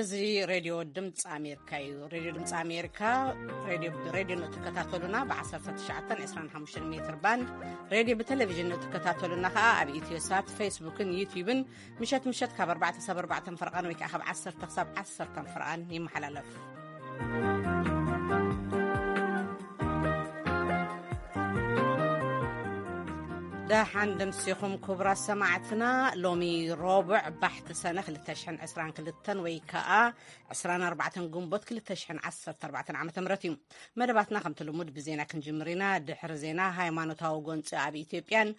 እዚ ሬድዮ ድምፂ ኣሜሪካ እዩ። ሬድዮ ድምፂ ኣሜሪካ ሬድዮ ብሬድዮ ነው ትከታተሉና፣ ብ19፣ 25 ሜትር ባንድ ሬድዮ ብቴሌቪዥን ነው ትከታተሉና። ከኣ ኣብ ኢትዮ ሳት፣ ፌስቡክን ዩቲዩብን ምሸት ምሸት ካብ ኣርባዕተ ክሳብ ኣርባዕተ ፍርቓን ወይ ከኣ ካብ ዓሰርተ ክሳብ ዓሰርተ ፍርቓን ይመሓላለፍ። ደሓን ደምሲኹም ክቡራት ሰማዕትና። ሎሚ ሮብዕ ባሕቲ ሰነ ክልተ ሽሕን ዕስራን ክልተን ወይ ከኣ ዕስራን ኣርባዕተን ግንቦት ክልተ ሽሕን ዓሰርተ ኣርባዕተን ዓመተ ምህረት እዩ። መደባትና ከምቲ ልሙድ ብዜና ክንጅምር ኢና። ድሕሪ ዜና፣ ሃይማኖታዊ ጎንፂ ኣብ ኢትዮጵያን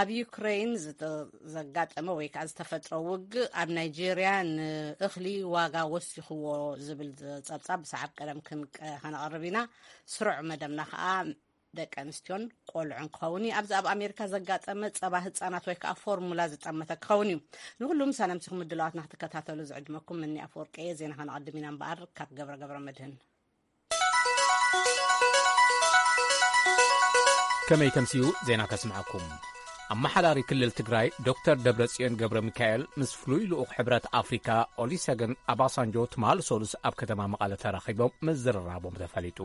ኣብ ዩክሬን ዝተ-፣ ዘጋጠመ ወይ ከዓ ዝተፈጥረ ውግእ ኣብ ናይጄርያ ንእኽሊ ዋጋ ወሲኽዎ ዝብል ጸብጻብ ብሰዓብ ቀደም ክንቀ-፣ ከነቕርብ ኢና። ስሩዕ መደብና ከዓ ደቂ ኣንስትዮን ቆልዑን ክኸውን እዩ። ኣብዚ ኣብ ኣሜሪካ ዘጋጠመ ጸባ ህጻናት ወይ ከዓ ፎርሙላ ዝጠመተ ክኸውን እዩ። ንኹሉ ምሳና ምሲኹም ምድላዋትና ክትከታተሉ ዝዕድመኩም ምኒ ኣፈወርቂ እየ። ዜና ከነቐድም ኢና እምበኣር ካብ ገብረ ገብረ መድህን። ከመይ ከምስዩ ዜና ከስምዓኩም። ኣመሓዳሪ ክልል ትግራይ ዶክተር ደብረጽዮን ገብረ ሚካኤል ምስ ፍሉይ ልኡኽ ሕብረት ኣፍሪካ ኦሊሰገን ኣባሳንጆ ትማል ሰሉስ ኣብ ከተማ መቐለ ተራኺቦም ምዝርራቦም ተፈሊጡ።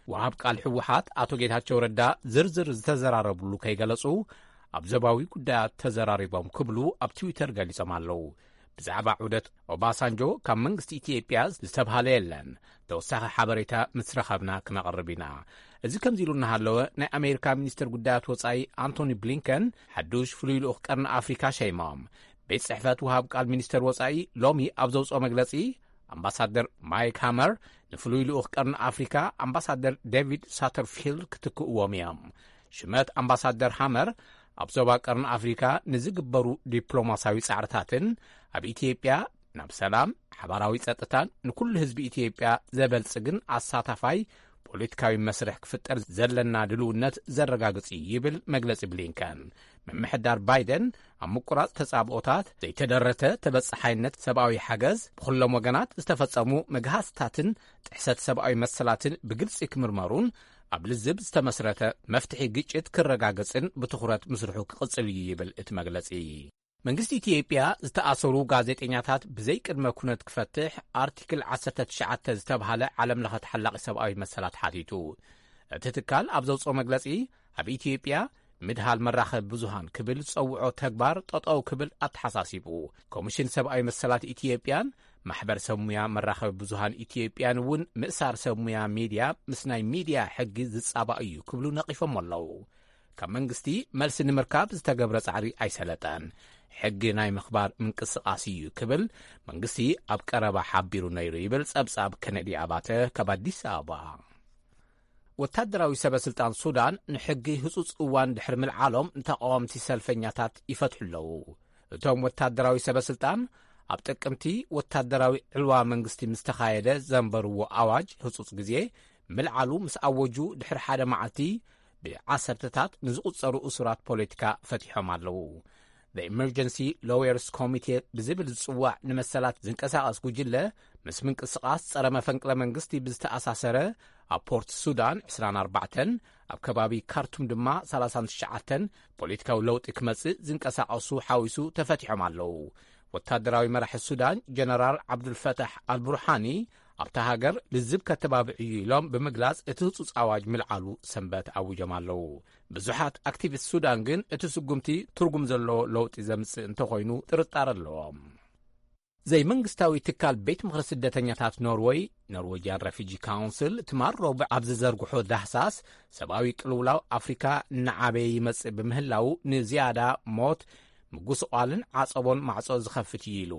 ወሃብ ቃል ህወሓት ኣቶ ጌታቸው ረዳ ዝርዝር ዝተዘራረብሉ ከይገለጹ ኣብ ዞባዊ ጉዳያት ተዘራሪቦም ክብሉ ኣብ ትዊተር ገሊጾም ኣለዉ። ብዛዕባ ዑደት ኦባሳንጆ ካብ መንግስቲ ኢትዮጵያ ዝተብሃለ የለን። ተወሳኺ ሓበሬታ ምስ ረኸብና ክነቕርብ ኢና። እዚ ከምዚ ኢሉ እናሃለወ፣ ናይ ኣሜሪካ ሚኒስትር ጉዳያት ወጻኢ ኣንቶኒ ብሊንከን ሓዱሽ ፍሉይ ልኡኽ ቀርኒ ኣፍሪካ ሸይሞም። ቤት ጽሕፈት ወሃብ ቃል ሚኒስተር ወጻኢ ሎሚ ኣብ ዘውጽኦ መግለጺ፣ ኣምባሳደር ማይክ ሃመር ንፍሉይ ልኡኽ ቀርኒ ኣፍሪካ ኣምባሳደር ዴቪድ ሳተርፊልድ ክትክእዎም እዮም። ሽመት ኣምባሳደር ሃመር ኣብ ዞባ ቀርኒ ኣፍሪካ ንዝግበሩ ዲፕሎማስያዊ ጻዕርታትን ኣብ ኢትዮጵያ ናብ ሰላም፣ ሓባራዊ ጸጥታን ንኩሉ ህዝቢ ኢትዮጵያ ዘበልጽግን ኣሳታፋይ ፖለቲካዊ መስርሕ ክፍጠር ዘለና ድልውነት ዘረጋግጽ እዩ ይብል መግለጺ ብሊንከን። ምምሕዳር ባይደን ኣብ ምቁራጽ ተጻብኦታት፣ ዘይተደረተ ተበጻሓይነት ሰብኣዊ ሓገዝ፣ ብኹሎም ወገናት ዝተፈጸሙ መግሃስታትን ጥሕሰት ሰብኣዊ መሰላትን ብግልጺ ክምርመሩን ኣብ ልዝብ ዝተመስረተ መፍትሒ ግጭት ክረጋገጽን ብትኹረት ምስርሑ ክቕጽል እዩ ይብል እቲ መግለጺ። መንግስቲ ኢትዮጵያ ዝተኣሰሩ ጋዜጠኛታት ብዘይቅድመ ኩነት ክፈትሕ ኣርቲክል ዓሰርተ ትሽዓተ ዝተብሃለ ዓለም ለኸ ተሓላቒ ሰብኣዊ መሰላት ሓቲቱ። እቲ ትካል ኣብ ዘውፅኦ መግለፂ፣ ኣብ ኢትዮጵያ ምድሃል መራኸቢ ብዙሃን ክብል ዝፀውዖ ተግባር ጠጠው ክብል ኣተሓሳሲቡ። ኮሚሽን ሰብኣዊ መሰላት ኢትዮጵያን ማሕበር ሰብ ሙያ መራኸቢ ብዙሃን ኢትዮጵያን እውን ምእሳር ሰብ ሙያ ሚድያ ምስ ናይ ሚድያ ሕጊ ዝፃባእ እዩ ክብሉ ነቒፎም ኣለዉ። ካብ መንግስቲ መልሲ ንምርካብ ዝተገብረ ጻዕሪ ኣይሰለጠን። ሕጊ ናይ ምኽባር ምንቅስቓስ እዩ ክብል መንግስቲ ኣብ ቀረባ ሓቢሩ ነይሩ ይብል ጸብጻብ ከነዲ ኣባተ ካብ ኣዲስ ኣበባ። ወታደራዊ ሰበ ስልጣን ሱዳን ንሕጊ ህጹጽ እዋን ድሕሪ ምልዓሎም ንተቃወምቲ ሰልፈኛታት ይፈትሑ ኣለዉ። እቶም ወታደራዊ ሰበ ስልጣን ኣብ ጥቅምቲ ወታደራዊ ዕልዋ መንግስቲ ምስ ተኻየደ ዘንበርዎ ኣዋጅ ህጹጽ ግዜ ምልዓሉ ምስ ኣወጁ ድሕሪ ሓደ መዓልቲ ብዓሰርተታት ንዝቑጸሩ እሱራት ፖለቲካ ፈቲሖም ኣለዉ። The Emergency Lawyers Committee ብዝብል ዝጽዋዕ ንመሰላት ዝንቀሳቐስ ጉጅለ ምስ ምንቅስቓስ ጸረ መፈንቅለ መንግስቲ ብዝተኣሳሰረ ኣብ ፖርት ሱዳን ዕስራን ኣርባዕተን ኣብ ከባቢ ካርቱም ድማ ሰላሳን ትሽዓተን ፖለቲካዊ ለውጢ ክመጽእ ዝንቀሳቐሱ ሓዊሱ ተፈቲሖም ኣለዉ። ወታደራዊ መራሒ ሱዳን ጀነራል ዓብዱልፈታሕ ኣልቡርሃኒ ኣብታ ሃገር ልዝብ ከተባብዕ እዩ ኢሎም ብምግላጽ እቲ ህጹጽ ኣዋጅ ምልዓሉ ሰንበት ኣዊጆም ኣለዉ። ብዙሓት ኣክቲቪስት ሱዳን ግን እቲ ስጉምቲ ትርጉም ዘለዎ ለውጢ ዘምጽእ እንተኾይኑ ጥርጣረ ኣለዎም። ዘይመንግስታዊ ትካል ቤት ምኽሪ ስደተኛታት ኖርወይ፣ ኖርዌጅያን ረፊጂ ካውንስል፣ ትማል ረቡዕ ኣብ ዝዘርግሖ ዳህሳስ ሰብኣዊ ቅልውላው ኣፍሪካ እናዓበየ ይመጽእ ብምህላው ንዝያዳ ሞት፣ ምጉስቋልን ዓጸቦን ማዕጾ ዝኸፍት እዩ ኢሉ።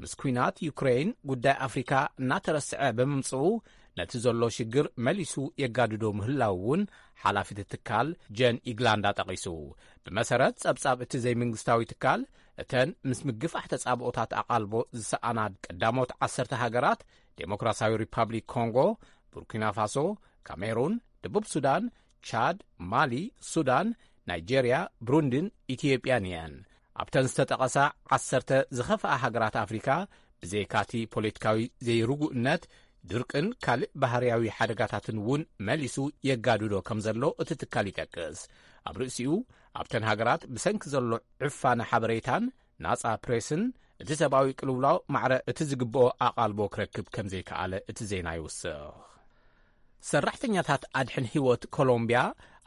ምስ ኲናት ዩክሬን ጉዳይ ኣፍሪካ እናተረስዐ ብምምጽኡ ነቲ ዘሎ ሽግር መሊሱ የጋድዶ ምህላው እውን ሓላፊ እቲ ትካል ጀን ኢግላንዳ ጠቒሱ። ብመሰረት ጸብጻብ እቲ ዘይመንግስታዊ ትካል፣ እተን ምስ ምግፋሕ ተጻብኦታት ኣቓልቦ ዝሰኣና ቀዳሞት ዓሰርተ ሃገራት ዴሞክራሲያዊ ሪፓብሊክ ኮንጎ፣ ቡርኪና ፋሶ፣ ካሜሩን፣ ደቡብ ሱዳን፣ ቻድ፣ ማሊ፣ ሱዳን፣ ናይጄርያ፣ ብሩንድን ኢትዮጵያን እየን። ኣብተን ዝተጠቐሳ ዓሰርተ ዝኸፍኣ ሃገራት ኣፍሪካ፣ ብዘይካቲ ፖለቲካዊ ዘይርጉእነት፣ ድርቅን ካልእ ባህርያዊ ሓደጋታትን እውን መሊሱ የጋድዶ ከም ዘሎ እቲ ትካል ይጠቅስ። ኣብ ርእሲኡ፣ ኣብተን ሃገራት ብሰንኪ ዘሎ ዕፋነ ሓበሬታን ናጻ ፕሬስን እቲ ሰብኣዊ ቅልውላው ማዕረ እቲ ዝግብኦ ኣቓልቦ ክረክብ ከም ዘይከኣለ እቲ ዜና ይውስኽ። ሰራሕተኛታት ኣድሕን ህይወት ኮሎምቢያ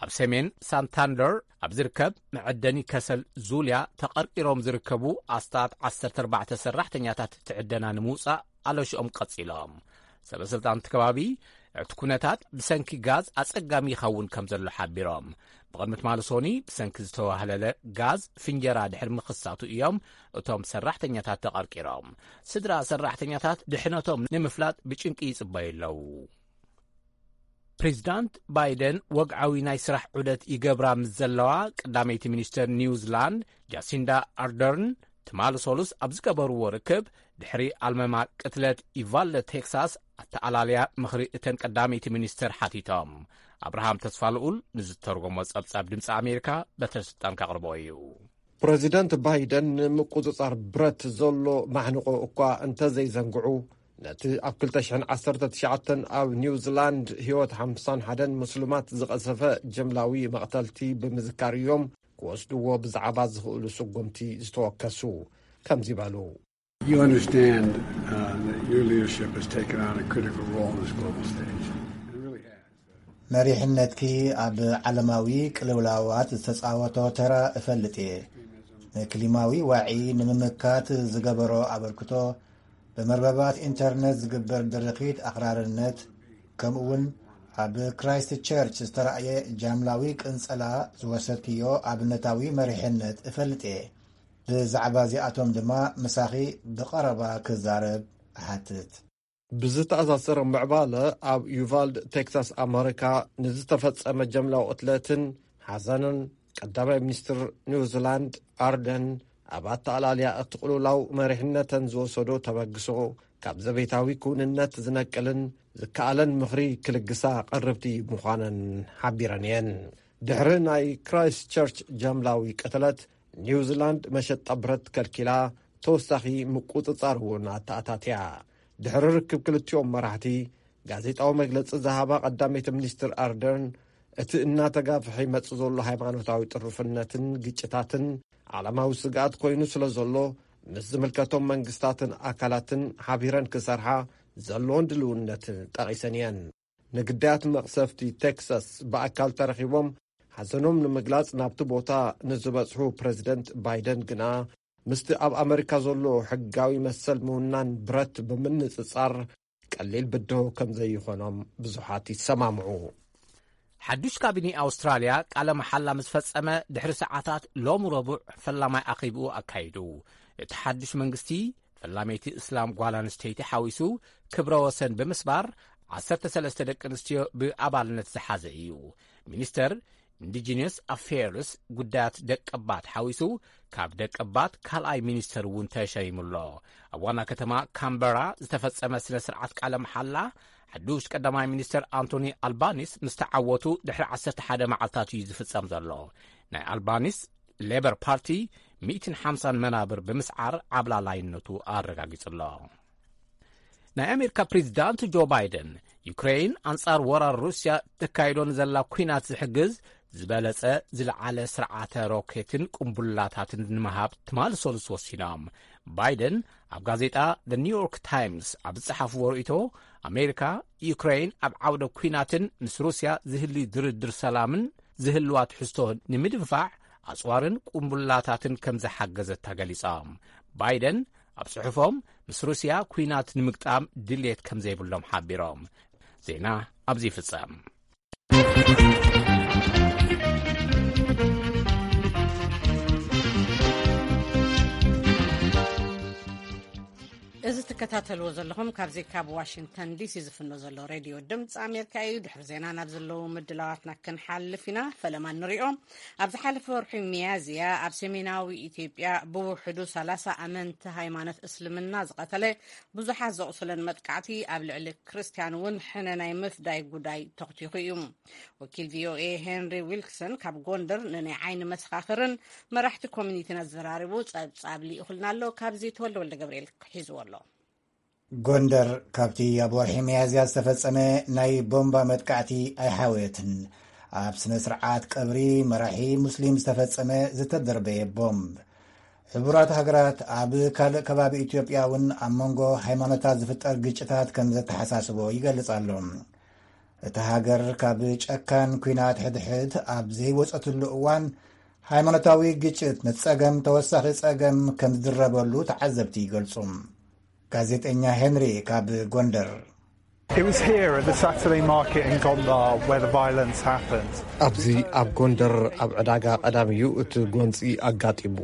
ኣብ ሰሜን ሳንታንደር ኣብ ዝርከብ መዐደኒ ከሰል ዙልያ ተቐርቂሮም ዝርከቡ ኣስታት ዓሰርተ ኣርባዕተ ሰራሕተኛታት ትዕደና ንምውጻእ ኣለሽኦም ቀጺሎም። ሰበ ስልጣን እቲ ከባቢ እቲ ኩነታት ብሰንኪ ጋዝ ኣጸጋሚ ይኸውን ከም ዘሎ ሓቢሮም። ብቕድሚ ትማሊ ሶኒ ብሰንኪ ዝተዋህለለ ጋዝ ፍንጀራ ድሕሪ ምኽሳቱ እዮም እቶም ሰራሕተኛታት ተቐርቂሮም። ስድራ ሰራሕተኛታት ድሕነቶም ንምፍላጥ ብጭንቂ ይጽበዩ ኣለዉ። ፕሬዚዳንት ባይደን ወግዓዊ ናይ ስራሕ ዑደት ይገብራ ምስ ዘለዋ፣ ቀዳመይቲ ሚኒስተር ኒውዚላንድ ጃሲንዳ ኣርደርን ትማሊ ሰሉስ ኣብ ዝገበርዎ ርክብ፣ ድሕሪ ኣልመማ ቅትለት ኢቫልደ ቴክሳስ ኣተኣላልያ ምኽሪ እተን ቀዳመይቲ ሚኒስተር ሓቲቶም። ኣብርሃም ተስፋልኡል ንዝተርጎሞ ጸብጻብ ድምፂ ኣሜሪካ በትረ ስልጣን ከቕርቦ እዩ። ፕረዚደንት ባይደን ንምቁጽጻር ብረት ዘሎ ማሕንቆ እኳ እንተዘይዘንግዑ፣ ነቲ ኣብ ክልተ ሽሕን ዓሰርተ ትሽዓተን ኣብ ኒውዚላንድ ህይወት ሓምሳን ሓደን ምስሉማት ዝቐሰፈ ጀምላዊ መቕተልቲ ብምዝካር እዮም ክወስድዎ ብዛዕባ ዝኽእሉ ስጉምቲ ዝተወከሱ። ከምዚ በሉ። You understand uh, that your leadership has taken on a critical role in this global stage. It really has. መሪሕነትኪ ኣብ ዓለማዊ ቅልውላዋት ዝተጻወቶ ተራ እፈልጥ እየ። ንክሊማዊ ዋዒ ንምምካት ዝገበሮ ኣበርክቶ፣ ብመርበባት ኢንተርነት ዝግበር ድርኺት ኣኽራርነት፣ ከምኡውን ኣብ ክራይስት ቸርች ዝተራእየ ጃምላዊ ቅንጸላ ዝወሰድክዮ ኣብነታዊ መሪሕነት እፈልጥ እየ። ብዛዕባ እዚኣቶም ድማ ምሳኺ ብቐረባ ክዛረብ እሓትት። ብዝተኣሳሰረ ምዕባለ ኣብ ዩቫልድ ቴክሳስ ኣመሪካ ንዝተፈጸመ ጀምላዊ ቅትለትን ሓዘንን፣ ቀዳማይ ሚኒስትር ኒውዚላንድ ኣርደን ኣብ ኣተኣላልያ እቲ ቅልውላው መሪሕነተን ዝወሰዶ ተበግሶ ካብ ዘቤታዊ ክውንነት ዝነቅልን ዝከኣለን ምኽሪ ክልግሳ ቀርብቲ ምዃነን ሓቢረን እየን። ድሕሪ ናይ ክራይስት ቸርች ጃምላዊ ቅትለት፣ ኒውዚላንድ መሸጣ ብረት ከልኪላ፣ ተወሳኺ ምቁጽጻር እውን ኣተኣታትያ። ድሕሪ ርክብ ክልቲኦም መራሕቲ፣ ጋዜጣዊ መግለጺ ዝሃባ ቀዳመይቲ ሚኒስትር ኣርደርን፣ እቲ እናተጋፍሐ ይመጽእ ዘሎ ሃይማኖታዊ ጥሩፍነትን ግጭታትን ዓለማዊ ስግኣት ኮይኑ ስለ ዘሎ፣ ምስ ዝምልከቶም መንግስታትን ኣካላትን ሓቢረን ክሰርሓ ዘለዎን ድልውነት ጠቒሰን እየን። ንግዳያት መቕሰፍቲ ቴክሳስ ብኣካል ተረኺቦም ሓዘኖም ንምግላጽ ናብቲ ቦታ ንዝበጽሑ ፕረዚደንት ባይደን ግና፣ ምስቲ ኣብ ኣመሪካ ዘሎ ሕጋዊ መሰል ምውናን ብረት ብምንጽጻር ቀሊል ብድሆ ከም ዘይኾኖም ብዙሓት ይሰማምዑ። ሓዱሽ ካቢኔ ኣውስትራልያ ቃለ መሓላ ምስ ፈጸመ ድሕሪ ሰዓታት ሎም ረቡዕ ፈላማይ ኣኼብኡ ኣካይዱ። እቲ ሓዱሽ መንግስቲ ፈላመይቲ እስላም ጓል ኣንስተይቲ ሓዊሱ ክብረ ወሰን ብምስባር ዓሰርተ ሰለስተ ደቂ ኣንስትዮ ብኣባልነት ዝሓዘ እዩ። ሚኒስተር ኢንዲጂነስ ኣፌርስ ጉዳያት ደቀባት ሓዊሱ ካብ ደቀባት ካልኣይ ሚኒስተር እውን ተሸይሙ ኣሎ። ኣብ ዋና ከተማ ካምበራ ዝተፈጸመ ስነ ስርዓት ቃለ መሓላ ሓዱሽ ቀዳማይ ሚኒስተር ኣንቶኒ ኣልባኒስ ምስ ተዓወቱ ድሕሪ ዓሰርተ ሓደ መዓልታት እዩ ዝፍጸም ዘሎ። ናይ ኣልባኒስ ሌበር ፓርቲ ሚእትን ሓምሳን መናብር ብምስዓር ዓብላላይነቱ ኣረጋጊጹ ኣሎ። ናይ ኣሜሪካ ፕሬዚዳንት ጆ ባይደን ዩክሬን ኣንጻር ወራር ሩስያ ተካይዶ ንዘላ ኲናት ዝሕግዝ ዝበለጸ ዝለዓለ ስርዓተ ሮኬትን ቁምቡላታትን ንምሃብ ትማሊ ሰሉስ ወሲኖም። ባይደን ኣብ ጋዜጣ ኒውዮርክ ታይምስ ኣብ ዝጸሓፍዎ ርእይቶ፣ ኣሜሪካ ዩክሬን ኣብ ዓውደ ኲናትን ምስ ሩስያ ዝህሊ ድርድር ሰላምን ዝህልዋ ትሕዝቶ ንምድንፋዕ ኣጽዋርን ቁምቡላታትን ከም ዝሓገዘታ ገሊጾም። ባይደን ኣብ ጽሑፎም፣ ምስ ሩስያ ኲናት ንምግጣም ድልየት ከም ዘይብሎም ሓቢሮም። ዜና ኣብዚ ይፍጸም። እዚ ትከታተልዎ ዘለኹም ካብዚ ካብ ዋሽንግተን ዲሲ ዝፍኖ ዘሎ ሬድዮ ድምፂ ኣሜሪካ እዩ። ድሕሪ ዜና ናብ ዘለዉ ምድላዋትና ክንሓልፍ ኢና። ፈለማ ንሪኦ። ኣብ ዝሓለፈ ወርሒ ሚያዝያ ኣብ ሰሜናዊ ኢትዮጵያ ብውሕዱ ሰላሳ ኣመንቲ ሃይማኖት እስልምና ዝቐተለ፣ ብዙሓት ዘቑሰለን መጥቃዕቲ ኣብ ልዕሊ ክርስትያን እውን ሕነ ናይ ምፍዳይ ጉዳይ ተኽቲኹ እዩ። ወኪል ቪኦኤ ሄንሪ ዊልክሰን ካብ ጎንደር ንናይ ዓይኒ መሰኻኽርን መራሕቲ ኮሚኒቲን ኣዘራሪቡ ጸብጻብ ልኢኹልና ኣሎ። ካብዚ ተወልደ ወልደ ገብርኤል ሒዝዎ ኣሎ። ጎንደር፣ ካብቲ ኣብ ወርሒ ሚያዝያ ዝተፈጸመ ናይ ቦምባ መጥቃዕቲ ኣይሓወየትን። ኣብ ስነ ስርዓት ቀብሪ መራሒ ሙስሊም ዝተፈጸመ ዝተደርበየ ቦምብ። ሕቡራት ሃገራት ኣብ ካልእ ከባቢ ኢትዮጵያ እውን ኣብ መንጎ ሃይማኖታት ዝፍጠር ግጭታት ከም ዘተሓሳስቦ ይገልጽ ኣሎ። እቲ ሃገር ካብ ጨካን ኲናት ሕድሕድ ኣብ ዘይወጸትሉ እዋን፣ ሃይማኖታዊ ግጭት ነቲ ጸገም ተወሳኺ ጸገም ከም ዝድረበሉ ተዓዘብቲ ይገልጹ። ጋዜጠኛ ሄንሪ ካብ ጎንደር። It was here at the Saturday market in Gondar where the violence happened. ኣብዚ ኣብ ጎንደር ኣብ ዕዳጋ ቀዳም እዩ እቲ ጎንጺ ኣጋጢሙ።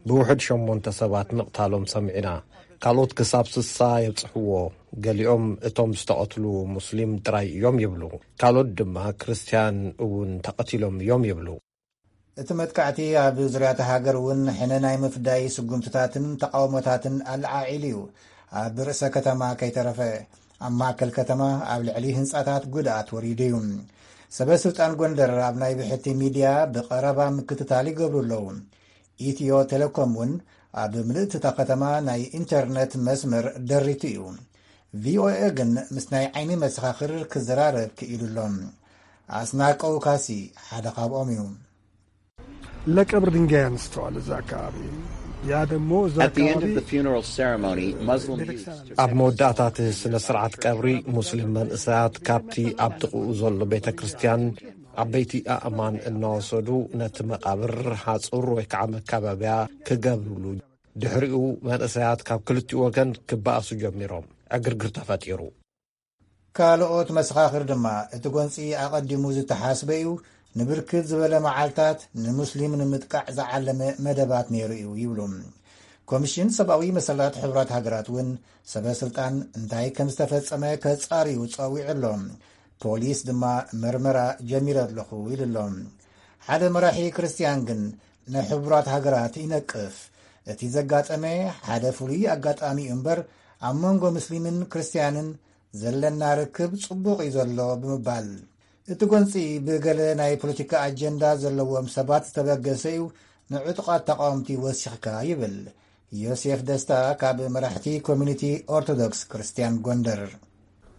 ብውሕድ ሸሞንተ ሰባት ምቕታሎም ሰሚዕና። ካልኦት ክሳብ ስሳ የብጽሕዎ። ገሊኦም እቶም ዝተቐትሉ ሙስሊም ጥራይ እዮም ይብሉ። ካልኦት ድማ ክርስትያን እውን ተቐቲሎም እዮም ይብሉ። እቲ መጥቃዕቲ ኣብ ዙርያታ ሃገር እውን ሕነ ናይ ምፍዳይ ስጉምትታትን ተቃውሞታትን ኣለዓዒሉ እዩ። ኣብ ርእሰ ከተማ ከይተረፈ፣ ኣብ ማእከል ከተማ ኣብ ልዕሊ ህንጻታት ጉድኣት ወሪዱ እዩ። ሰበ ስልጣን ጎንደር ኣብ ናይ ብሕቲ ሚድያ ብቐረባ ምክትታል ይገብሩ ኣለዉ። ኢትዮ ቴሌኮም እውን ኣብ ምልእቲ እታ ከተማ ናይ ኢንተርነት መስመር ደሪቱ እዩ። ቪኦኤ ግን ምስ ናይ ዓይኒ መሰኻኽር ክዘራረብ ክኢሉ ኣሎ። ኣስናቀው ካሲ ሓደ ካብኦም እዩ። ለቀብር ድንጋይ አንስተዋል እዛ አካባቢ። ያ ደግሞ እዛ At the end አካባቢ of the funeral ceremony, Muslim youths took ኣብ መወዳእታት ስነ ስርዓት ቀብሪ፣ ሙስሊም መንእሰያት ካብቲ ኣብ ጥቕኡ ዘሎ ቤተ ክርስቲያን ዓበይቲ ኣእማን እናወሰዱ ነቲ መቓብር ሓጹር ወይ ከዓ መካበብያ ክገብርሉ። ድሕሪኡ መንእሰያት ካብ ክልቲኡ ወገን ክበኣሱ ጀሚሮም። ዕግርግር ተፈጢሩ። ካልኦት መሰኻኽር ድማ እቲ ጎንፂ ኣቐዲሙ ዝተሓስበ እዩ፣ ንብርክት ዝበለ መዓልታት ንሙስሊም ንምጥቃዕ ዝዓለመ መደባት ነይሩ እዩ ይብሉ። ኮሚሽን ሰብኣዊ መሰላት ሕቡራት ሃገራት እውን ሰበ ስልጣን እንታይ ከም ዝተፈጸመ ከጻርዩ ጸዊዑ ኣሎ። ፖሊስ ድማ መርመራ ጀሚረ ኣለኹ ኢሉ ኣሎ። ሓደ መራሒ ክርስትያን ግን ንሕቡራት ሃገራት ይነቅፍ። እቲ ዘጋጠመ ሓደ ፍሉይ ኣጋጣሚ እዩ እምበር ኣብ መንጎ ሙስሊምን ክርስትያንን ዘለና ርክብ ጽቡቕ እዩ ዘሎ ብምባል፣ እቲ ጎንጺ ብገለ ናይ ፖለቲካ ኣጀንዳ ዘለዎም ሰባት ዝተበገሰ እዩ፣ ንዕጡቓት ተቃወምቲ ወሲኽካ ይብል ዮሴፍ ደስታ ካብ መራሕቲ ኮሚኒቲ ኦርቶዶክስ ክርስትያን ጎንደር።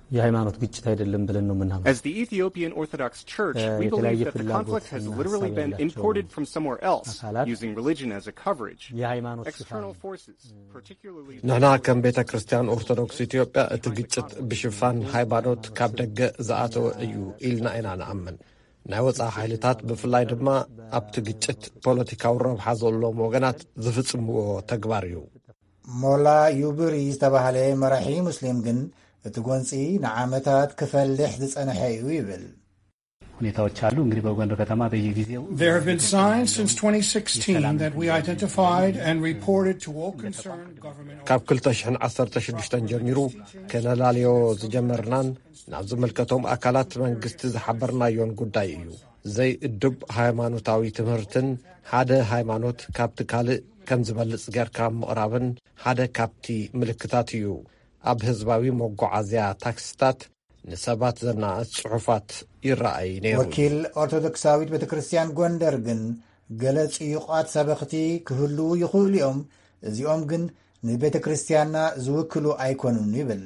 የሃይማኖት ግጭት አይደለም ብለን ነው የምናምነው። As the Ethiopian Orthodox Church, we believe that the conflict has literally been imported from somewhere else, using religion as a coverage. External forces, particularly ንሕና ከም ቤተ ክርስቲያን ኦርቶዶክስ ኢትዮጵያ እቲ ግጭት ብሽፋን ሃይማኖት ካብ ደገ ዝኣተወ እዩ ኢልና ኢና ንኣምን። ናይ ወፃኢ ሓይልታት ብፍላይ ድማ ኣብቲ ግጭት ፖለቲካዊ ረብሓ ዘለዎም ወገናት ዝፍጽምዎ ተግባር እዩ። ሞላ ዩብሪ ዝተባህለ መራሒ ሙስሊም ግን እቲ ጎንፂ ንዓመታት ክፈልሕ ዝጸንሐ እዩ ይብል። ሁኔታዎች አሉ እንግዲህ በጎንደር ከተማ በየጊዜው There have been signs since twenty sixteen that we identified and reported to all concerned government. ካብ ክልተ ሽሕን ዓሰርተ ሽዱሽተን ጀሚሩ ከነላልዮ ዝጀመርናን ናብ ዝምልከቶም ኣካላት መንግስቲ ዝሓበርናዮን ጉዳይ እዩ። ዘይእዱብ ሃይማኖታዊ ትምህርትን ሓደ ሃይማኖት ካብቲ ካልእ ከም ዝበልጽ ጌርካ ምቕራብን ሓደ ካብቲ ምልክታት እዩ። ኣብ ህዝባዊ መጓዓዝያ ታክሲታት ንሰባት ዘናእስ ጽሑፋት ይረኣይ ነይሩ። ወኪል ኦርቶዶክሳዊት ቤተ ክርስቲያን ጎንደር ግን ገለ ጽዩቓት ሰበኽቲ ክህልዉ ይኽእሉ እዮም፣ እዚኦም ግን ንቤተ ክርስቲያንና ዝውክሉ ኣይኮኑን ይብል።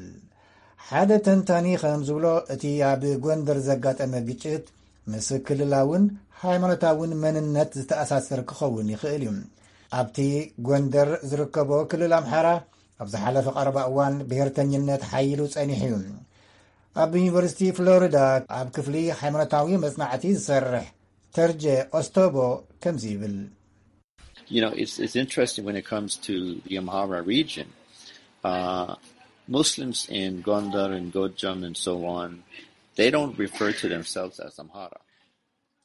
ሓደ ተንታኒ ከም ዝብሎ እቲ ኣብ ጎንደር ዘጋጠመ ግጭት ምስ ክልላውን ሃይማኖታውን መንነት ዝተኣሳሰር ክኸውን ይኽእል እዩ። ኣብቲ ጎንደር ዝርከቦ ክልል ኣምሓራ ኣብ ዝሓለፈ ቀረባ እዋን ብሄርተኝነት ሓይሉ ጸኒሑ እዩ። ኣብ ዩኒቨርሲቲ ፍሎሪዳ ኣብ ክፍሊ ሃይማኖታዊ መጽናዕቲ ዝሰርሕ ተርጀ ኦስቶቦ ከምዚ ይብል። You know, it's, it's interesting when it comes to the Amhara region. Uh, Muslims in Gondar and Gojam and so on, they don't refer to themselves as Amhara.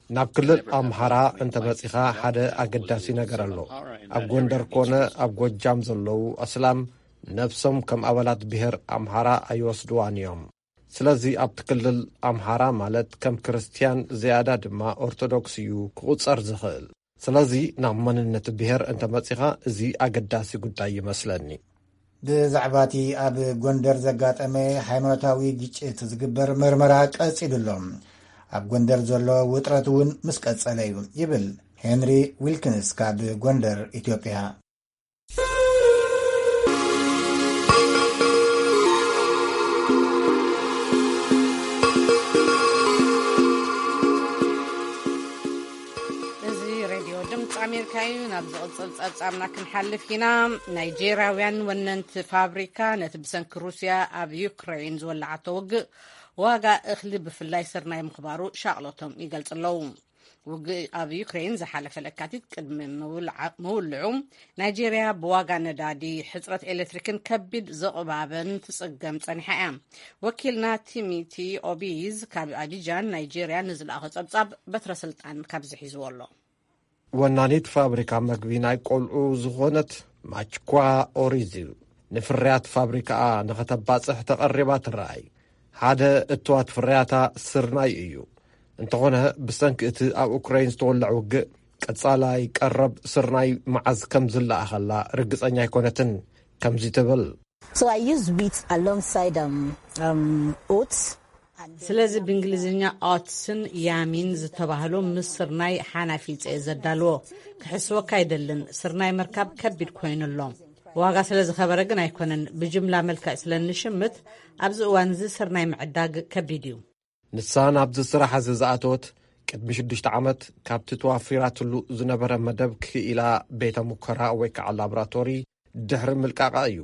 ናብ ክልል ኣምሓራ እንተ መጺኻ ሓደ ኣገዳሲ ነገር ኣሎ። ኣብ ጎንደር ኮነ ኣብ ጎጃም ዘለዉ ኣስላም ነብሶም ከም ኣባላት ብሔር ኣምሓራ ኣይወስድዋን እዮም። ስለዚ ኣብቲ ክልል ኣምሓራ ማለት ከም ክርስትያን ዝያዳ ድማ ኦርቶዶክስ እዩ ክቑጸር ዝኽእል። ስለዚ ናብ መንነት ብሔር እንተ መጺኻ እዚ ኣገዳሲ ጉዳይ ይመስለኒ። ብዛዕባ እቲ ኣብ ጎንደር ዘጋጠመ ሃይማኖታዊ ግጭት ዝግበር መርመራ ቀጺሉ ኣሎ። ኣብ ጎንደር ዘሎ ውጥረት እውን ምስ ቀጸለ እዩ ይብል ሄንሪ ዊልኪንስ ካብ ጎንደር ኢትዮጵያ። እዚ ሬድዮ ድምፂ ኣሜሪካ ካዩ ናብ ዝቕጽል ጸብጻብና ክንሓልፍ ኢና። ናይጄርያውያን ወነንቲ ፋብሪካ ነቲ ብሰንኪ ሩስያ ኣብ ዩክሬን ዝወለዓቶ ውግእ ዋጋ እኽሊ ብፍላይ ስርናይ ምኽባሩ ሻቕሎቶም ይገልጽ ኣለዉ። ውግእ ኣብ ዩክሬን ዝሓለፈ ለካቲት ቅድሚ ምውልዓ- ምውልዑ ናይጄርያ ብዋጋ ነዳዲ፣ ሕጽረት ኤሌክትሪክን ከቢድ ዝቕባበን ትጽገም ጸኒሓ እያ። ወኪልና ቲሚቲ ኦቢዝ ካብ ኣቢጃን ናይጄርያ ንዝለኣኾ ጸብጻብ በትረ ስልጣን ካብዚ ሒዝዎ ኣሎ። ወናኒት ፋብሪካ መግቢ ናይ ቆልዑ ዝኾነት ማችኳ ኦሪዝ፣ ንፍርያት ፋብሪካኣ ንኸተባጽሕ ተቐሪባ ትረኣይ። ሓደ እትዋት ፍርያታ ስርናይ እዩ። እንተኾነ፣ ብሰንኪ እቲ ኣብ ኡክራይን ዝተወልዐ ውግእ፣ ቀጻላይ ቀረብ ስርናይ መዓዝ ከም ዝለኣኸላ ርግጸኛ ኣይኮነትን። ከምዚ ትብል። So I use wheat alongside um, um, oats. ስለዚ ብእንግሊዝኛ ኦትስን ያሚን ዝተባህሉ ምስ ስርናይ ሓናፊፀ ዘዳልዎ። ክሕስወካ ኣይደልን፣ ስርናይ ምርካብ ከቢድ ኮይኑሎ። ዋጋ ስለ ዝኸበረ ግን ኣይኮነን። ብጅምላ መልክዕ ስለ እንሽምት ኣብዚ እዋን እዚ ስርናይ ምዕዳግ ከቢድ እዩ። ንሳ ናብዚ ስራሕ እዚ ዝኣተወት ቅድሚ ሽዱሽተ ዓመት፣ ካብቲ ተዋፊራትሉ ዝነበረ መደብ ክኢላ ቤተ ሙከራ ወይ ከዓ ላቦራቶሪ ድሕሪ ምልቃቓ እዩ።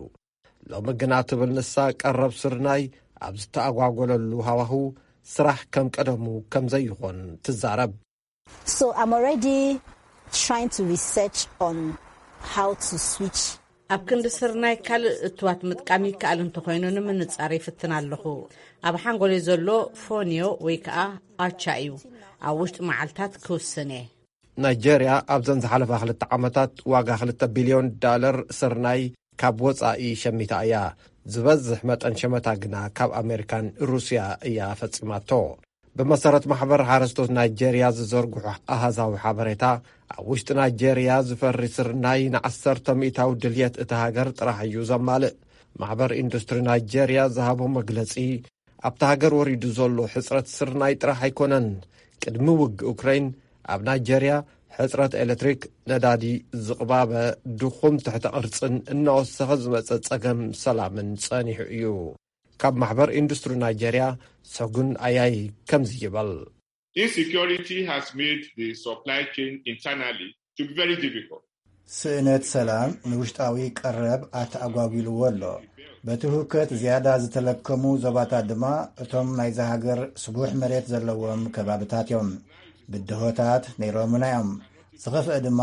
ሎሚ ግና፣ ትብል ንሳ፣ ቀረብ ስርናይ ኣብ ዝተኣጓጎለሉ ሃዋህው ስራሕ ከም ቀደሙ ከም ዘይኾን ትዛረብ። So I'm already trying to research on how to switch. ኣብ ክንዲ ስርናይ ካልእ እትዋት ምጥቃም ይከኣል እንተኾይኑ ንምንጻር ይፍትን ኣለኹ። ኣብ ሓንጎለይ ዘሎ ፎንዮ ወይ ከዓ ኣቻ እዩ። ኣብ ውሽጢ መዓልታት ክውስን እየ። ናይጄርያ ኣብዘን ዝሓለፋ ክልተ ዓመታት ዋጋ ክልተ ቢልዮን ዳለር ስርናይ ካብ ወጻኢ ሸሚታ እያ። ዝበዝሕ መጠን ሸመታ ግና ካብ ኣሜሪካን ሩስያ እያ ፈጺማቶ። ብመሰረት ማሕበር ሓረስቶት ናይጄርያ ዝዘርግሑ ኣሃዛዊ ሓበሬታ፣ ኣብ ውሽጢ ናይጄርያ ዝፈሪ ስርናይ ንዓሰርተ ሚእታዊ ድልየት እታ ሃገር ጥራሕ እዩ ዘማልእ። ማሕበር ኢንዱስትሪ ናይጄርያ ዝሃቦ መግለጺ፣ ኣብታ ሃገር ወሪዱ ዘሎ ሕጽረት ስርናይ ጥራሕ ኣይኮነን። ቅድሚ ውግእ ኡክራይን፣ ኣብ ናይጄርያ ሕጽረት ኤሌክትሪክ፣ ነዳዲ፣ ዝቕባበ ድኹም ትሕተ ቅርጽን እናወሰኸ ዝመጸ ጸገም ሰላምን ጸኒሑ እዩ። ካብ ማሕበር ኢንዱስትሪ ናይጄርያ፣ ሰጉን ኣያይ፣ ከምዚ ይበል። Insecurity has made the supply chain internally to be very difficult. ስእነት ሰላም ንውሽጣዊ ቀረብ ኣተኣጓጒልዎ ኣሎ። በቲ ህውከት ዝያዳ ዝተለከሙ ዞባታት ድማ እቶም ናይዛ ሃገር ስቡሕ መሬት ዘለዎም ከባብታት እዮም። ብድሆታት ነይሮምና እዮም። ዝኸፍአ ድማ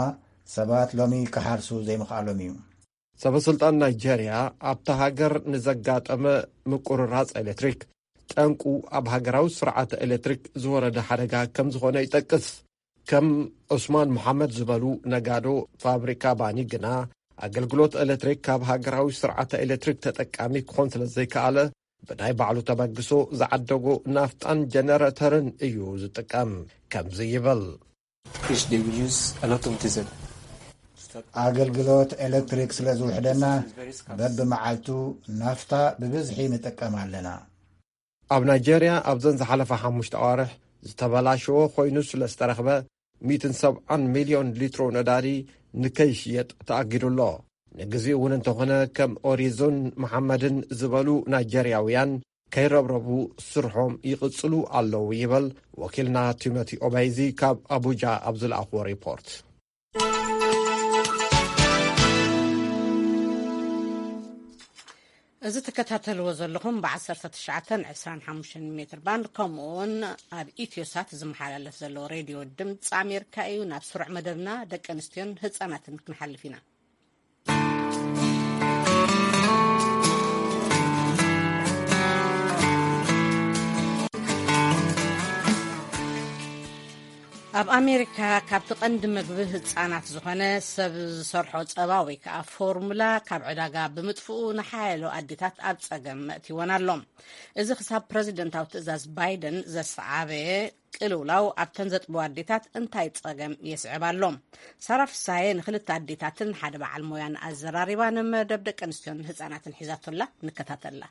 ሰባት ሎሚ ክሓርሱ ዘይምኽኣሎም እዩ። ሰበ ስልጣን ናይጄርያ ኣብታ ሃገር ንዘጋጠመ ምቁርራጽ ኤሌክትሪክ፣ ጠንቁ ኣብ ሃገራዊ ስርዓተ ኤሌክትሪክ ዝወረደ ሓደጋ ከም ዝኾነ ይጠቅስ። ከም ዑስማን መሓመድ ዝበሉ ነጋዶ ፋብሪካ ባኒ ግና፣ ኣገልግሎት ኤሌክትሪክ ካብ ሃገራዊ ስርዓተ ኤሌክትሪክ ተጠቃሚ ክኾን ስለ ዘይከኣለ፣ ብናይ ባዕሉ ተበግሶ ዝዓደጎ ናፍጣን ጀነረተርን እዩ ዝጥቀም። ከምዚ ይብል። ኣገልግሎት ኤሌክትሪክ ስለ ዝውሕደና፣ በብመዓልቱ ናፍታ ብብዝሒ ንጥቀም ኣለና። ኣብ ናይጄርያ ኣብዘን ዝሓለፋ ሓሙሽተ ኣዋርሕ ዝተበላሸወ ኮይኑ ስለ ዝተረኽበ፣ ሚእትን ሰብዓን ሚልዮን ሊትሮ ነዳዲ ንከይሽየጥ ተኣጊዱ ኣሎ። ንግዜኡ እውን እንተኾነ፣ ከም ኦሪዞን መሓመድን ዝበሉ ናይጄርያውያን ከይረብረቡ ስርሖም ይቕጽሉ ኣለዉ ይበል ወኪልና ቲሞቲ ኦባይዚ ካብ ኣቡጃ ኣብ ዝለኣኽዎ ሪፖርት። እዚ ትከታተልዎ ዘለኹም ብ19፣ 25 ሜትር ባንድ፣ ከምኡ እውን ኣብ ኢትዮሳት ዝመሓላለፍ ዘሎ ሬድዮ ድምፂ ኣሜሪካ እዩ። ናብ ስሩዕ መደብና፣ ደቂ ኣንስትዮን ህፃናትን ክንሓልፍ ኢና። ኣብ ኣሜሪካ፣ ካብቲ ቀንዲ መግቢ ህፃናት ዝኾነ ሰብ ዝሰርሖ ፀባ ወይ ከዓ ፎርሙላ ካብ ዕዳጋ ብምጥፍኡ፣ ንሓያሎ ኣዴታት ኣብ ፀገም መእቲወን ኣሎ። እዚ ክሳብ ፕረዚደንታዊ ትእዛዝ ባይደን ዘሰዓበ ቅልውላው ኣብተን ዘጥብዋ ኣዴታት እንታይ ጸገም የስዕብ ኣሎ? ሳራ ፍሳየ ንክልተ ኣዴታትን ሓደ በዓል ሞያን ኣዘራሪባ፣ ንመደብ ደቂ ኣንስትዮን ህጻናትን ሒዛቶላ። ንከታተላ።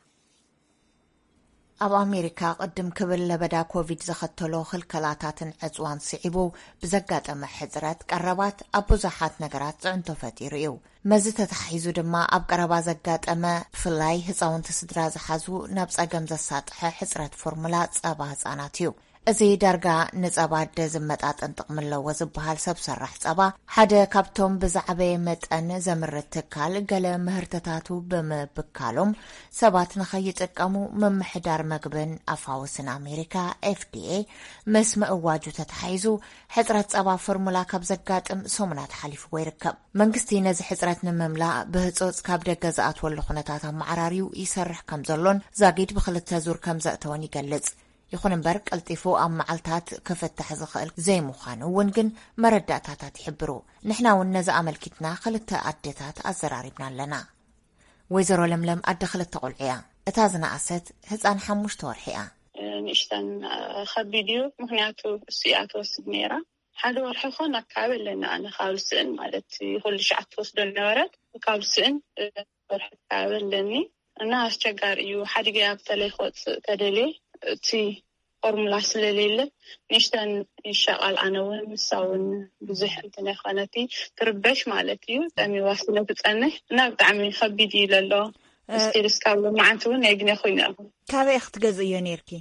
ኣብ ኣሜሪካ ቅድም ክብል ለበዳ ኮቪድ ዘኸተሎ ክልከላታትን ዕጽዋን ስዒቡ ብዘጋጠመ ሕጽረት ቀረባት ኣብ ብዙሓት ነገራት ጽዕንቶ ፈጢሩ እዩ። መዚ ተታሒዙ ድማ ኣብ ቀረባ ዘጋጠመ ብፍላይ ህጻውንቲ ስድራ ዝሓዙ ናብ ጸገም ዘሳጥሐ ሕጽረት ፎርሙላ ጸባ ህጻናት እዩ። እዚ ዳርጋ ንጸባ ኣደ ዝመጣጠን ጥቕሚ ኣለዎ ዝበሃል ሰብ ሰራሕ ጸባ፣ ሓደ ካብቶም ብዝዓበየ መጠን ዘምርት ትካል፣ ገለ ምህርትታቱ ብምብካሎም ሰባት ንኸይጥቀሙ ምምሕዳር መግብን ኣፋውስን ኣሜሪካ፣ ኤፍ ዲ ኤ፣ ምስ ምእዋጁ ተተሓሒዙ፣ ሕጽረት ጸባ ፎርሙላ ካብ ዘጋጥም ሰሙናት ሓሊፍዎ ይርከብ። መንግስቲ ነዚ ሕጽረት ንምምላእ ብህጹጽ ካብ ደገ ዝኣትወሉ ኩነታት ኣመዓራርዩ ይሰርሕ ከም ዘሎን ዛጊድ ብኽልተ ዙር ከም ዘእተወን ይገልጽ። ይኹን እምበር፣ ቀልጢፉ ኣብ መዓልታት ክፍታሕ ዝኽእል ዘይምዃኑ እውን ግን መረዳእታታት ይሕብሩ። ንሕና እውን ነዚ ኣመልኪትና ክልተ ኣደታት ኣዘራሪብና ኣለና። ወይዘሮ ለምለም ኣደ ክልተ ቆልዑ እያ። እታ ዝነኣሰት ህፃን ሓሙሽተ ወርሒ እያ። ንእሽተን ከቢድ እዩ፣ ምክንያቱ እሱ እያ ትወስድ ነይራ። ሓደ ወርሒ ኮን ኣካባቢ ኣለኒ ኣነ፣ ካብ ስእን ማለት ኩሉ ሸዓት ትወስዶ ነበረት፣ ካብ ስእን ወርሒ ኣካባቢ ኣለኒ እና ኣስቸጋሪ እዩ። ሓዲገ ኣብ ተለይ ክወፅእ ተደልየ እቲ ፎርሙላ ስለሌለ ንእሽተን ይሻቃል። ኣነ እውን ንሳ እውን ብዙሕ እንትን ኣይኮነቲ ትርበሽ ማለት እዩ። ጠሚዋ ስለ ትጸንሕ እና ብጣዕሚ ከቢድ እዩ ለሎ። ስቲል እስካብ መዓንቲ እውን ናይ ግነ ኮይኑ ኣለኹ። ካበይ ክትገዝእዮ ነይርኪ?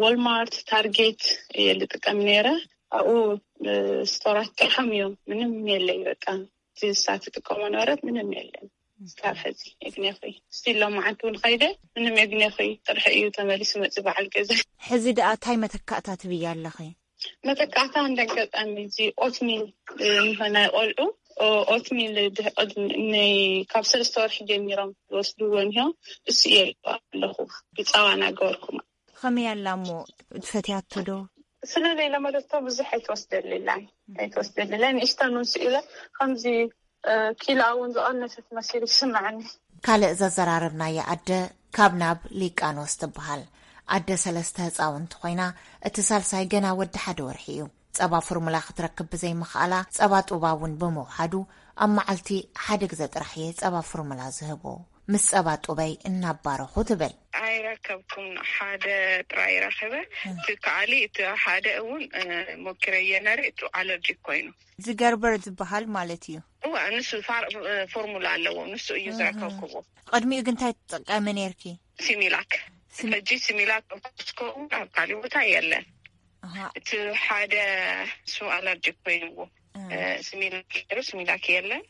ወልማርት፣ ታርጌት እየ ልጥቀም ነይረ። ኣብኡ ስቶራት ጥርሖም እዮም፣ ምንም የለይ። በቃ እቲ ንሳ ትጥቀሞ ነበረት ምንም የለን። እስካብ ሕዚ የግኔኹ ስቲል ሎማዓንቲ እውን ኸይደ ምንም የግኔኹ ጥርሒ እዩ ተመሊሱ መፂ በዓል ገዛ። ሕዚ ደኣ እንታይ መተካእታ ትብያ ኣለኺ? መተካእታ እንደ ኣጋጣሚ እዚ ኦትሚል ናይ ቆልዑ ኦትሚል ድሕቅድ ናይ ካብ ሰለስተ ወርሒ ጀሚሮም ዝወስድዎ እንሆ እሱ እየ ኣለኹ። ብፃዋ እናገበርኩ። ከመይ ኣላ እሞ? ትፈትያቶ ዶ? ስለ ዘይለመደቶ ብዙሕ ኣይትወስደልላን ኣይትወስደልላን። ንእሽተን እውን ስኢለ ከምዚ ኪላ እውን ዝቐነሰት መሲሉ ይስምዓኒ። ካልእ ዘዘራረብናያ ኣደ ካብ ናብ ሊቃኖስ ትበሃል። ኣደ ሰለስተ ህፃውንቲ ኮይና፣ እቲ ሳልሳይ ገና ወዲ ሓደ ወርሒ እዩ። ጸባ ፎርሙላ ክትረክብ ብዘይምኽኣላ፣ ጸባ ጡባ እውን ብምውሓዱ፣ ኣብ መዓልቲ ሓደ ግዘ ጥራሕ እየ ጸባ ፎርሙላ ዝህቦ። ምስ ጸባ ጡበይ እናባረኹ ትብል። ኣይረከብኩን፣ ሓደ ጥራይ ረኺበ። እቲ ከኣሊ እቲ ሓደ እውን ሞኪረየ ነረ፣ እቱ ኣለርጂክ ኮይኑ። እዚ ገርበር ዝበሃል ማለት እዩ። እዋ፣ ንሱ ፋር-፣ ፎርሙላ ኣለዎ፣ ንሱ እዩ ዝረከብክዎ። ቅድሚኡ ግን እንታይ ትጥቀሚ ነርኪ? ሲሚላክ። ሲሚ- ሕጂ ሲሚላክ ኣብ ኮስኮ እውን ኣብ ካሊእ ቦታ የለን። ኣሃ። እቲ ሓደ ስሙ ኣለርጂክ ኮይንዎ። እ። እ፣ ስሚላክ ነይሩ፣ ስሚላክ የለን።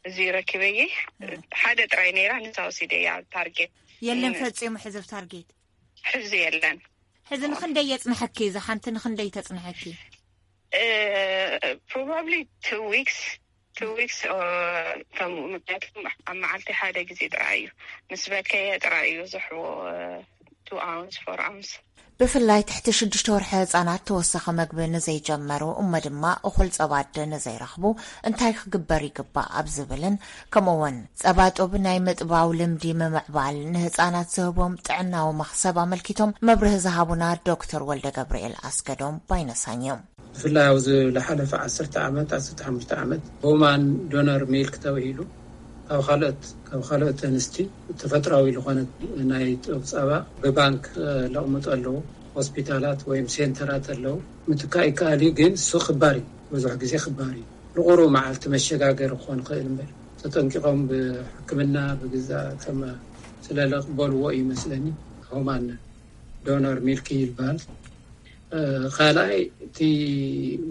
እዚ ረኪበየ። እ። ሓደ ጥራይ ነይራ፣ ንሳ ወሲደያ ኣብ ታርጌት። የለን እ። ፈጺሙ ሕዚ ኣብ ታርጌት? ሕዚ የለን። ሕዚ ንኽንደይ የጽንሐኪ? እዛ ሓንቲ ንኽንደይ ተጽንሐኪ? እ፣ ፕሮባብሊ ቱ ዊክስ፣ ቱ ዊክስ፣ እ፣ ከም ምክንያቱ ኣብ መዓልቲ ሓደ ግዜ ጥራይ እዩ። ምስ በከየ ጥራይ እዩ ዝሕቦ፣ እ፣ ቱ ኣውንስ፣ ፎር ኣውንስ። ብፍላይ ትሕቲ ሽዱሽተ ወርሒ ህጻናት ተወሳኺ መግቢ ንዘይጀመሩ፣ እሞ ድማ እኹል ጸባ ኣደ ንዘይረኽቡ እንታይ ክግበር ይግባእ ኣብ ዝብልን፣ ከምኡ እውን ጸባ ጡብ ናይ ምጥባው ልምዲ ምምዕባል ንህጻናት ዝህቦም ጥዕናዊ መኽሰብ ኣመልኪቶም መብርሂ ዝሃቡና ዶክተር ወልደ ገብርኤል ኣስገዶም ባይነሳኝ እዮም። ብፍላይ ኣብዚ ዝሓለፈ ዓሰርተ ዓመት፣ ዓሰርተ ሓሙሽተ ዓመት ሁማን ዶነር ሚልክ ተባሂሉ ካብ ካልኦት፣ ካብ ካልኦት ኣንስቲ ተፈጥራዊ ዝኾነ ናይ ጡብ ጸባ ብባንክ፣ እ፣ ለቕምጡ ኣለዉ። ሆስፒታላት ወይም ሴንተራት ኣለዉ። ምትካእ ይከኣል እዩ፣ ግን እሱ ክባር እዩ። ብዙሕ ግዜ ክባር እዩ። ንቑሩብ መዓልቲ መሸጋገሪ ክኾን ይኽእል እምበር፣ ተጠንቂቖም ብሕክምና ብግዛ ከም ስለ ለቕበልዎ እዩ መስለኒ። ሁማን ዶነር ሚልክ ይበሃል። እ፣ ካልኣይ፣ እቲ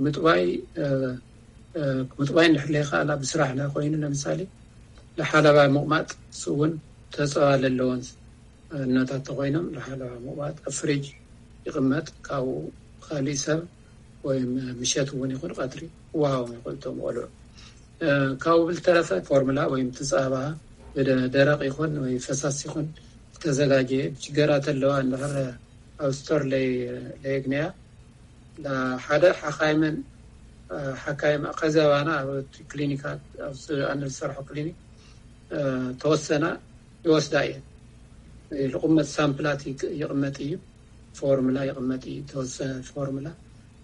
ምጥባይ፣ እ፣ እ፣ ምጥባይ እንድሕር ዘይከኣላ ብስራሕ እንድሕር ኮይኑ፣ ለምሳሌ፣ ንሓለባ ምቕማጥ፣ እሱ እውን ተፀባ ለለወን እኖታት ተኾይኖም፣ ንሓለባ ምቕማጥ ኣብ ፍሪጅ ይቕመጥ፣ ካብኡ ካሊእ ሰብ ወይም ምሸት እውን ይኹን ቀትሪ ክወሃቦም ይኽእል እቶም ቆልዑ። እ፣ ካብኡ ብልተረፈ ፎርሙላ ወይም እቲ ጸባ ብደ-፣ ደረቕ ይኹን ወይ ፈሳሲ ይኹን ዝተዘጋጀ፣ ሽገራት ኣለዋ እንድሕር ኣብ ስቶር ለይ-፣ ለየግንያ፣ ሓደ ሓካይምን፣ እ፣ ሓካይም ከዚ ኣባና ኣብ ክሊኒካት፣ ኣብ ስ-፣ ኣነ ዝሰርሖ ክሊኒክ፣ እ፣ ተወሰና ይወስዳ እየን። ዝቕመጥ ሳምፕላት ይቅ-፣ ይቕመጥ እዩ። ፎርሙላ ይቕመጥ እዩ፣ ተወሰነ ፎርሙላ።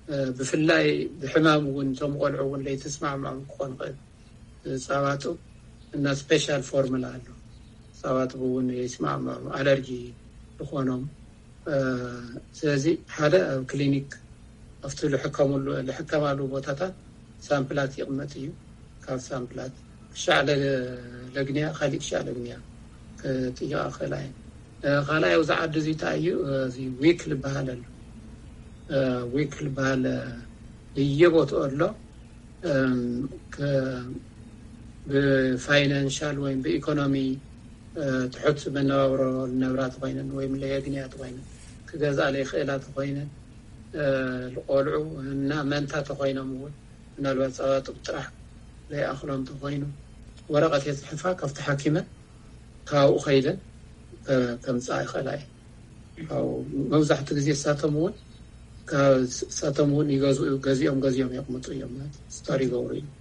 እ፣ ብፍላይ ብሕማም እውን እቶም ቆልዑ እውን ለይተስማዕምዖም ክኾን ይኽእል። እ፣ ጸባ ጡብ እና ስፔሻል ፎርሙላ ኣሎ። ጸባ ጡብ እውን ለይስማዕምዖም፣ ኣለርጂ ዝኾኖም። እ፣ ስለዚ ሓደ ኣብ ክሊኒክ ኣብቲ ልሕከምሉ፣ ልሕከማሉ ቦታታት ሳምፕላት ይቕመጥ እዩ። ካብ ሳምፕላት ክሻዕ ለ-፣ ለግንያ፣ ካሊእ ክሻዕ ለግንያ ክጥይቓ ክኽእላ እየን። እ፣ ካልኣይ ኣብዚ ዓዲ እዚ እንታይ እዩ፣ እ፣ እዚ ዊክ ዝበሃል ኣሎ። ዊክ ዝበሃል በየቦትኡ ኣሎ። ብፋይናንሻል ወይም ብኢኮኖሚ ትሑት መነባብሮ ዝነብራ ተኮይነን ወይም ለየግንያ ተኮይነን፣ ክገዝኣ ለይክእላ ተኮይነን፣ ዝቆልዑ እና መንታ ተኮይኖም እውን ምናልባት ፀባጡብ ጥራሕ ዘይኣክሎም ተኮይኑ፣ ወረቀት የፅሕፋ ካብቲ ሓኪመ ካብኡ ከይደን ከምፃ ይኽእላ እየ። መብዛሕትኡ ግዜ እሳቶም እውን እሳቶም እውን ይገዝኡ፣ ገዚኦም ገዚኦም የቕምጡ እዮም ማለት ስቶር ይገብሩ እዮም።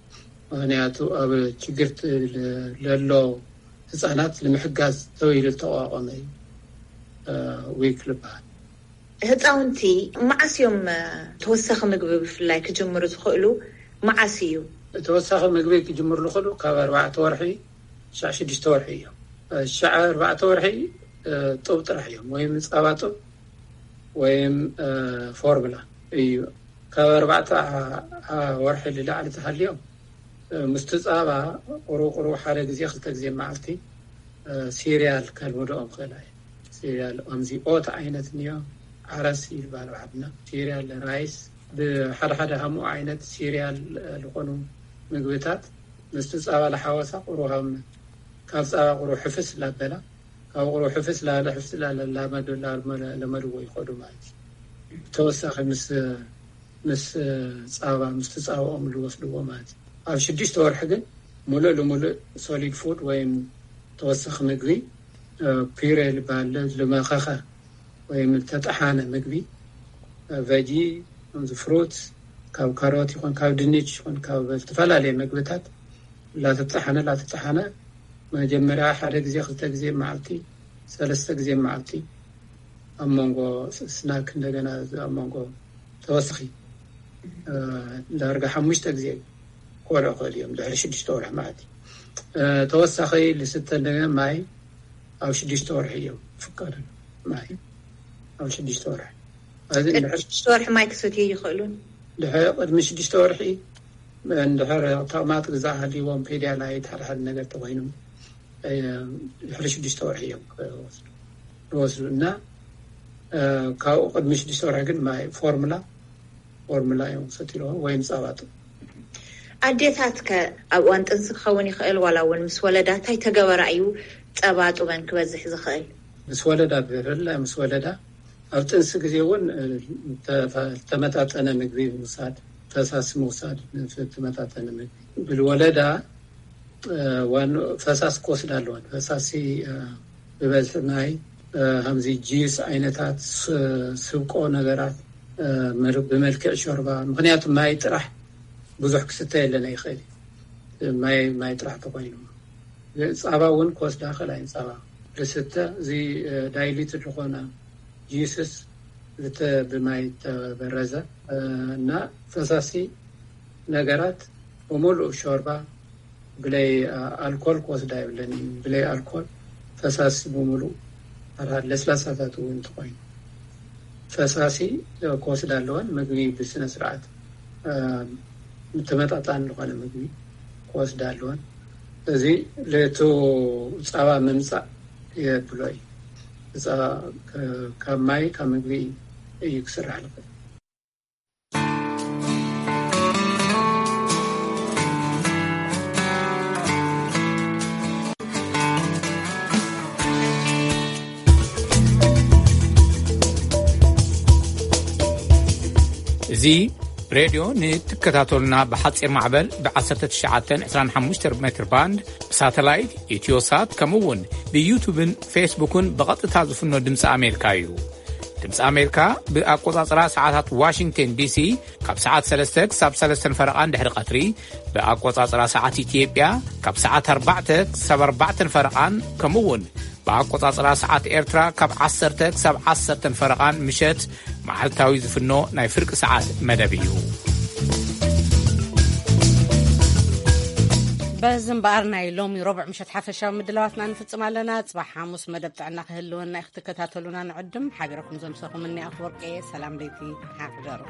ምክንያቱ ኣብ ችግር ለሎ ህፃናት ንምሕጋዝ ተባሂሉ ዝተቋቋመ እዩ ዊክ ዝበሃል። ህፃውንቲ መዓስ እዮም ተወሳኺ ምግቢ ብፍላይ ክጅምሩ ዝኽእሉ? መዓስ እዩ? ተወሳኺ ምግቢ ክጅምሩ ዝኽእሉ ካብ ኣርባዕተ ወርሒ ሻዕ ሽዱሽተ ወርሒ እዮም። ሻዕ ኣርባዕተ ወርሒ ጡብ ጥራሕ እዮም፣ ወይም ፃባ ጡብ ወይም ፎርምላ እዩ። ካብ ኣርባዕተ ወርሒ ልላዕሊ ተሃልዮም ምስቲ ፃባ ቁሩብ ቁሩብ ሓደ ግዜ ክልተ ግዜ መዓልቲ ሲሪያል ከልምዶኦም ክእላ እዩ። ሲሪያል ከምዚ ኦት ዓይነት እኒኦ፣ ዓረስ ይባል ዓድና። ሲሪያል፣ ራይስ፣ ብሓደ ሓደ ሃምኡ ዓይነት ሲሪያል ዝኾኑ ምግብታት ምስቲ ፃባ ለሓወሳ ቁሩብ ካብ ፃባ ቁሩብ ሕፍስ ላበላ ካብ ቁሩብ ሕፍስ ላለ ሕፍስ ላለ ላመዱ ለመድዎ ይኸዱ ማለት እዩ። ተወሳኺ ምስ ምስ ፃባ ምስቲ ፃባኦም ዝወስድዎ ማለት እዩ። ኣብ ሽዱሽተ ወርሒ ግን ሙሉእ ልሙሉእ ሶሊድ ፉድ ወይም ተወሳኺ ምግቢ ፒሬ ዝበሃል ልመኸኸ ወይም ዝተጠሓነ ምግቢ ቨጂ ከምዚ ፍሩት ካብ ካሮት ይኹን ካብ ድንች ይኹን ካብ ዝተፈላለዩ ምግብታት ላተጠሓነ ላተጠሓነ መጀመርያ ሓደ ግዜ ክልተ ግዜ መዓልቲ ሰለስተ ግዜ መዓልቲ ኣብ መንጎ ስናክ እንደገና ኣብ መንጎ ተወስኺ ዳርጋ ሓሙሽተ ግዜ ክበልዑ ክእል እዮም ድሕሪ ሽዱሽተ ወርሒ ማለት እዩ። ተወሳኺ ልስተ እንደገና ማይ ኣብ ሽዱሽተ ወርሒ እዮም ፍቀዱ። ማይ ኣብ ሽዱሽተ ወርሒ ሽዱሽተ ወርሒ ማይ ክሰትዩ ይኽእሉን። ድሕሪ ቅድሚ ሽዱሽተ ወርሒ እንድሕር ተቕማጥ ግዛእ ሃልይዎም ፔድያ ናይ ሓደ ሓደ ነገር ተኮይኑ ድሕሪ ሽዱሽተ ወርሒ እዮም ዝወስዱ እና ካብኡ ቅድሚ ሽዱሽተ ወርሒ ግን ማይ ፎርሙላ ፎርሙላ እዮም ሰትይዎ ወይም ፃባጡ። ኣዴታት ከ ኣብ እዋን ጥንሲ ክኸውን ይኽእል ዋላ እውን ምስ ወለዳ እንታይ ተገበራ እዩ ጸባ ጡበን ክበዝሕ ዝኽእል? ምስ ወለዳ ብፍላይ ምስ ወለዳ ኣብ ጥንሲ ግዜ እውን ተመጣጠነ ምግቢ ምውሳድ፣ ፈሳሲ ምውሳድ፣ ተመጣጠነ ምግቢ ብልወለዳ ዋን ፈሳሲ ክወስድ ኣለወን። ፈሳሲ ብበዝሒ ማይ ከምዚ ጂስ ዓይነታት ስብቆ ነገራት ብመልክዕ ሾርባ። ምክንያቱ ማይ ጥራሕ ብዙሕ ክስተ የለና ይኽእል ማይ ማይ ጥራሕ ተኮይኑ ፃባ እውን ክወስዳ ክእላ እየን። ፃባ ልስተ እዚ ዳይሊት ዝኾነ ጂስስ ልተ ብማይ ተበረዘ እና ፈሳሲ ነገራት ብምሉእ ሾርባ ብለይ ኣልኮል ክወስዳ የብለን እዩ። ብለይ ኣልኮል ፈሳሲ ብምሉእ ኣርሃድ ለስላሳታት እውን እንተኮይኑ ፈሳሲ ክወስዳ ኣለወን። ምግቢ ብስነ ስርዓት ምተመጣጣን ዝኾነ ምግቢ ክወስዳ ኣለወን። እዚ ለቱ ፃባ ምምፃእ የብሎ እዩ። ፃባ ካብ ማይ ካብ ምግቢ እዩ ክስራሕ ልኽእል። እዚ ሬድዮ ንትከታተሉና ብሓፂር ማዕበል ብ1925 ሜትር ባንድ ብሳተላይት ኢትዮሳት ከምኡ እውን ብዩቱብን ፌስቡክን ብቐጥታ ዝፍኖ ድምፂ ኣሜሪካ እዩ። ድምፂ ኣሜሪካ ብኣቆፃፅራ ሰዓታት ዋሽንግተን ዲሲ ካብ ሰዓት ሰለስተ ክሳብ ሰለስተን ፈረቓን ድሕሪ ቀትሪ ብኣቆፃፅራ ሰዓት ኢትዮጵያ ካብ ሰዓት ኣርባዕተ ክሳብ ኣርባዕተን ፈረቓን ከምኡ እውን ብኣቆፃፅራ ሰዓት ኤርትራ ካብ ዓሰርተ ክሳብ ዓሰርተን ፈረቓን ምሸት መዓልታዊ ዝፍኖ ናይ ፍርቂ ሰዓት መደብ እዩ። በዚ እምበኣር ናይ ሎሚ ረቡዕ ምሸት ሓፈሻዊ ምድላዋትና ንፍጽም ኣለና። ጽባሕ ሓሙስ መደብ ጥዕና ክህልወና እዩ ክትከታተሉና ንዕድም። ሓቢረኩም ዘምሰኹም እኒ ኣፍወርቂ እየ። ሰላም ለይቲ ሓፍደሩ።